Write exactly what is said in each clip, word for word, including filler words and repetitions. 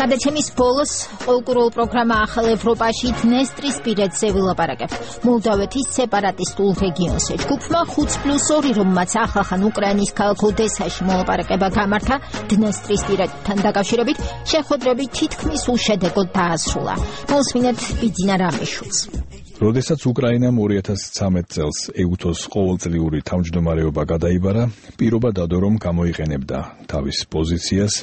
გადაცემის ბოლოს ყოლკურულ პროგრამა ახალ ევროპაში დნესტრისპირეთზე ვილაპარაკებთ. მოლდავეთის სეპარატისტულ რეგიონს ჯგუფმა ხუთ პლუს ორი, რომელმაც ახალხან უკრაინის ქალაქ ოდესაში მოლაპარაკება გამართა დნესტრისპირეთთან დაკავშირებით, შეხვედრები თითქმის უშედეგოდ დაასრულა. მოსმინეთ ბიძინა რამიშვილს. როდესაც უკრაინამ ორი ათას ცხრამეტ წელს ეუთოს ყოველწლიური თავმჯდომარეობა გადაიბარა, პირობა დადო, რომ გამოიყენებდა თავის პოზიციას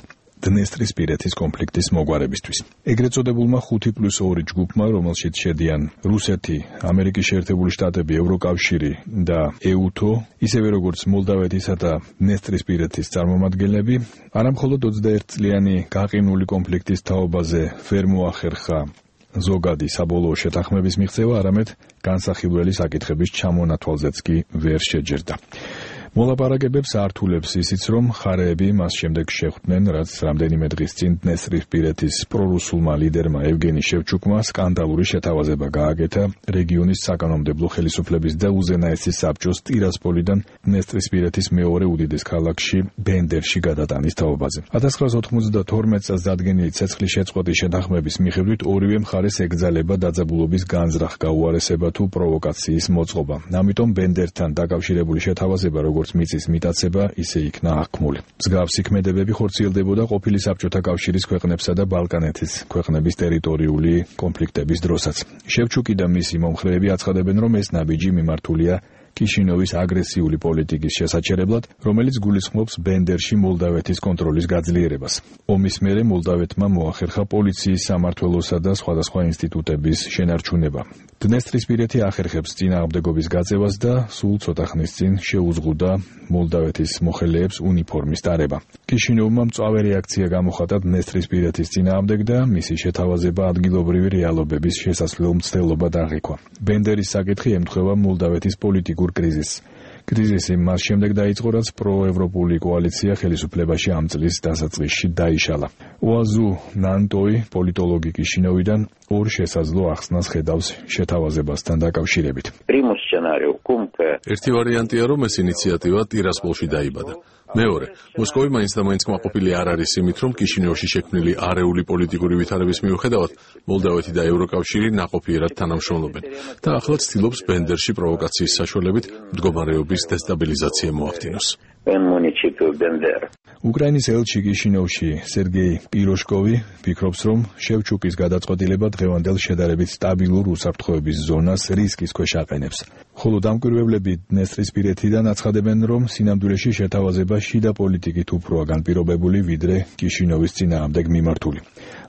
დნესტრისპირეთის კონფლიქტის მოგვარებისთვის. ეგრეთ წოდებულმა ხუთი პლუს ორი ჯგუფმა, რომელშიც შედიან რუსეთი, ამერიკის შეერთებული შტატები, ევროკავშირი და ეუთო, ისევე როგორც მოლდავეთისა და დნესტრისპირეთის წარმომადგენლები, არამხოლოდ ოცდაერთ წლიანი გაყინული კონფლიქტის თაობაზე ვერ მოახერხა ზოგადი საბოლოო შეთანხმების მიღწევა, არამედ განსახილველი საკითხების ჩამონათვალზეც კი ვერ შეჯერდა. მოლაპარაკებებს ართულებს ისიც, რომ მხარეები მას შემდეგ შეხვდნენ, რაც რამდენიმე დღის წინ დნესტრისპირეთის პრორუსულმა ლიდერმა ევგენი შევჩუკმა სკანდალური შეთავაზება გააკეთა რეგიონის საკანონმდებლო ხელისუფლების და უზენაესის საბჭოს ტირასპოლიდან დნესტრისპირეთის მეორე უდიდეს ქალაქში ბენდერში გადატანის თაობაზე. ათას ცხრაასა ოცდათორმეტ წელს დადგენილი ცეცხლის შეწყვეტის შეთანხმების მიხედვით ორივე მხარეს ეკრძალება დაძაბულობის განზრახ გაუარესება თუ პროვოკაციის მოწყობა. ამიტომ ბენდერთან დაკავშირებული შეთავაზება, როგორც მიწის მიტაცება, ისე იქნა აღქმული. მსგავსი ქმედებები ხორციელდებოდა ყოფილი საბჭოთა კავშირის ქვეყნებსა და ბალკანეთის ქვეყნების ტერიტორიული კონფლიქტების დროსაც. შევჩუკი და მისი მომხრეები აცხადებენ, რომ ეს ნაბიჯი მიმართულია კიშინოვის აგრესიული პოლიტიკის შესაჩერებლად, რომელიც გულისხმობს ბენდერში მოლდავეთის კონტროლის გაძლიერებას. ომის მერე მოლდავეთმა მოახერხა პოლიციის, სამმართველოსა და სხვადასხვა ინსტიტუტების შენარჩუნება. დნესტრისპირეთი ახერხებს წინააღმდეგობის გაწევას და სულ ცოტა ხნის წინ შეუზღუდა მოლდავეთის მოხელეებს უნიფორმის დარება. კიშინოვმა მწვავე რეაქცია გამოხატა დნესტრისპირეთის წინააღმდეგ და მისი შეთავაზება ადგილობრივი რეალობების შესასვლელ მცდელობად აღიქვა. ბენდერის საკითხი ემთხვევა მოლდავეთის პოლიტიკურ კრიზისს. კრიზისი მას შემდეგ დაიწყო, რაც პროევროპული კოალიცია ხელისუფლებაში ამ წლის დასაწყისში დაიშალა. ოაზუ ნანტოი, პოლიტოლოგი კიშინოვიდან, ორ შესაძლო ახსნას ხედავს შეთავაზებასთან დაკავშირებით. ერთი ვარიანტია, რომ ეს ინიციატივა ტირასპოლში დაიბადა. მეორე, მოსკოვი მაინც და მაინც კმაყოფილი არ არის იმით, რომ კიშინევში შექმნილი არეული პოლიტიკური ვითარების მიუხედავად მოლდავეთი და ევროკავშირი ნაყოფიერად თანამშრომლობენ და ახლა ცდილობს ბენდერში პროვოკაციის საშუალებით მდგომარეობის დესტაბილიზაცია მოახდინოს. უკრაინის ელჩი კიშინოვში სერგეი პიროშკოვი ფიქრობს, რომ შევჩუკის გადაწყვეტილება დღევანდელ შედარებით სტაბილურ უსაფრთხოების ზონას რისკის ქვეშ აყენებს. ხოლო დამკვირვებლები დნესტრისპირეთიდან აცხადებენ, რომ სინამდვილეში შეთავაზება შიდა პოლიტიკით უფროა განპირობებული, ვიდრე კიშინოვის წინააღმდეგ მიმართული.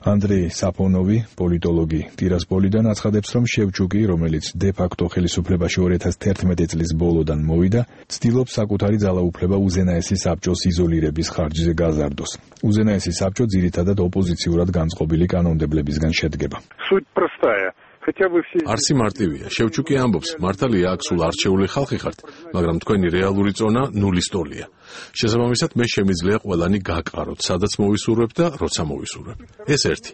ანდრეი საფონოვი, პოლიტოლოგი ტირასპოლიდან აცხადებს, რომ შევჩუკი, რომელიც დე-ფაქტო ხელისუფლებაში ორი ათას თერთმეტი წლის ბოლოდან მოვიდა, ცდილობს საკუთარი ძალაუფლება უზენაესი საბჭოს იზოლირების ხარჯზე გაზარდოს. უზენაესი საბჭო ძირითადად ოპოზიციურად განწყობილი კანონმდებლებისგან შედგება. არსი მარტივია. შევჩუკი ამბობს, მართალია აქ სულ არჩეული ხალხი ხართ, მაგრამ თქვენი რეალური წონა ნულის ტოლია. შესაბამისად, მე შემიძლია ყველანი გაკაროთ, სადაც მოვისურვებ და როცა მოვისურვებ. ეს ერთი.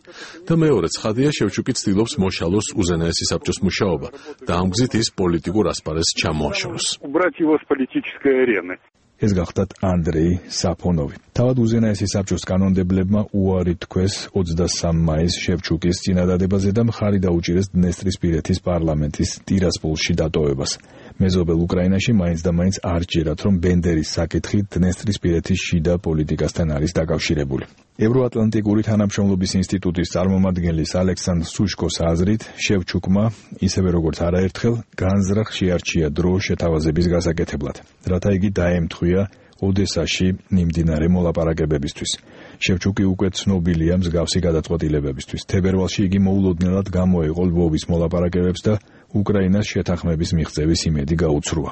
და მეორე ცხადია, შევჩუკი ცდილობს მოშალოს უზენაესი საბჭოს მუშაობა და ამ გზით ის პოლიტიკურ ასპარეზს ჩამოაშოროს. ეს გახდათ ანდრეი საფონოვი. თავად უზენაესი საბჭოს კანონმდებლებმა უარი თქვეს ოცდასამი მაისს შევჩუკის წინადადებაზე და მხარი დაუჭირეს დნესტრისპირეთის პარლამენტის ტირასპოლში დატოვებას. მეზობელ უკრაინაში მაინც და მაინც არ ჯერათ, რომ ბენდერის საკითხი დნესტრისპირეთის შიდა პოლიტიკასთან არის დაკავშირებული. ევროატლანტიკური თანამშრომლობის ინსტიტუტის წარმომადგენლის ალექსანდრ სუშკოს აზრით, შევჩუკმა, ისევე როგორც არაერთხელ, განზრახ შეარჩია დრო შეთავაზების გასაკეთებლად, რათა იგი დაემთხვია ოდესაში მიმდინარე მოლაპარაკებებისთვის. შევჩუკი უკვე ცნობილია მსგავსი გადაწყვეტილებებისთვის. თებერვალში იგი მოულოდნელად გამოეყო ლვოვის მოლაპარაკებებს და უკრაინას შეთანხმების მიღწევის იმედი გაუცრუა.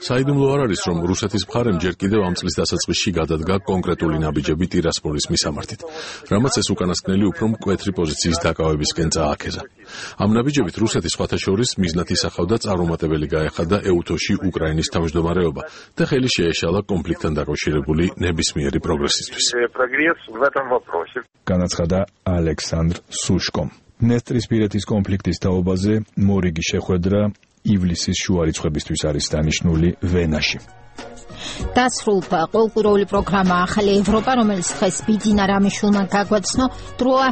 საიდუმლო არ არის, რომ რუსეთის მხარემ ჯერ კიდევ ამ წლის დასაწყისში გადადგა კონკრეტული ნაბიჯები ტირასპოლის მისამართით, რამაც ეს უკანასკნელი უფრო მკვეთრი პოზიციის დაკავებისკენ წააქეზა. ამ ნაბიჯებით რუსეთის სხვათა შორის მიზნად ისახავდა წარუმატებელი გაეხადა ეუთოში უკრაინის თავმჯდომარეობა და ხელი შეეშალა კონფლიქტთან დაკავშირებული ნებისმიერი პროგრესისთვის. განაცხადა ალექსანდრ სუშკომ. დნესტრისპირეთის კონფლიქტის თაობაზე მორიგი შეხვედრა ივლისის შუა რიცხვებისთვის არის დანიშნული ვენაში. დასრულდა ყოველკვირეული პროგრამა ახალი ევროპა, რომელიც დღეს ბიძინა რამიშვილმა გაგვაცნო დროა